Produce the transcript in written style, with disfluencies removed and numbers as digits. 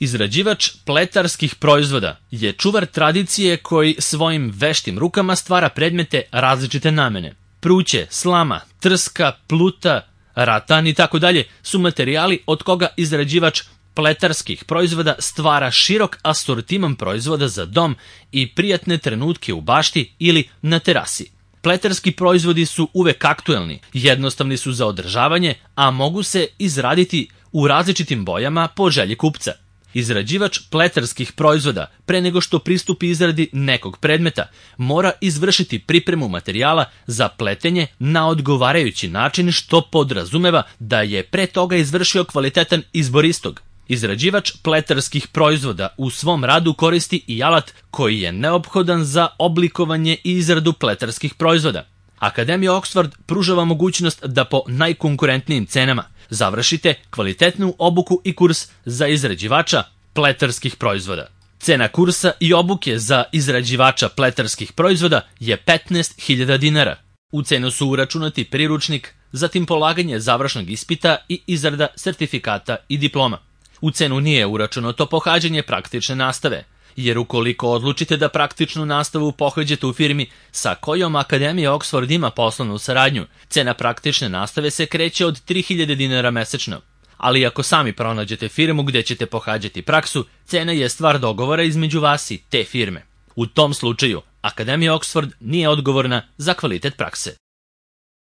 Izrađivač pletarskih proizvoda je čuvar tradicije koji svojim veštim rukama stvara predmete različite namene. Pruće, slama, trska, pluta, ratan i tako dalje su materijali od koga izrađivač pletarskih proizvoda stvara širok asortiman proizvoda za dom i prijatne trenutke u bašti ili na terasi. Pletarski proizvodi su uvek aktuelni, jednostavni su za održavanje, a mogu se izraditi u različitim bojama po želji kupca. Izrađivač pletarskih proizvoda, pre nego što pristupi izradi nekog predmeta, mora izvršiti pripremu materijala za pletenje na odgovarajući način, što podrazumeva da je pre toga izvršio kvalitetan izbor istog. Izrađivač pletarskih proizvoda u svom radu koristi i alat koji je neophodan za oblikovanje i izradu pletarskih proizvoda. Akademija Oxford pruža vam mogućnost da po najkonkurentnijim cenama završite kvalitetnu obuku i kurs za izrađivača pletarskih proizvoda. Cena kursa i obuke za izrađivača pletarskih proizvoda je 15.000 dinara. U cenu su uračunati priručnik, zatim polaganje završnog ispita i izrada sertifikata i diploma. U cenu nije uračunato pohađanje praktične nastave, jer ukoliko odlučite da praktičnu nastavu pohađate u firmi sa kojom Akademija Oxford ima poslovnu saradnju, cena praktične nastave se kreće od 3.000 dinara mesečno. Ali ako sami pronađete firmu gde ćete pohađati praksu, cena je stvar dogovora između vas i te firme. U tom slučaju, Akademija Oxford nije odgovorna za kvalitet prakse.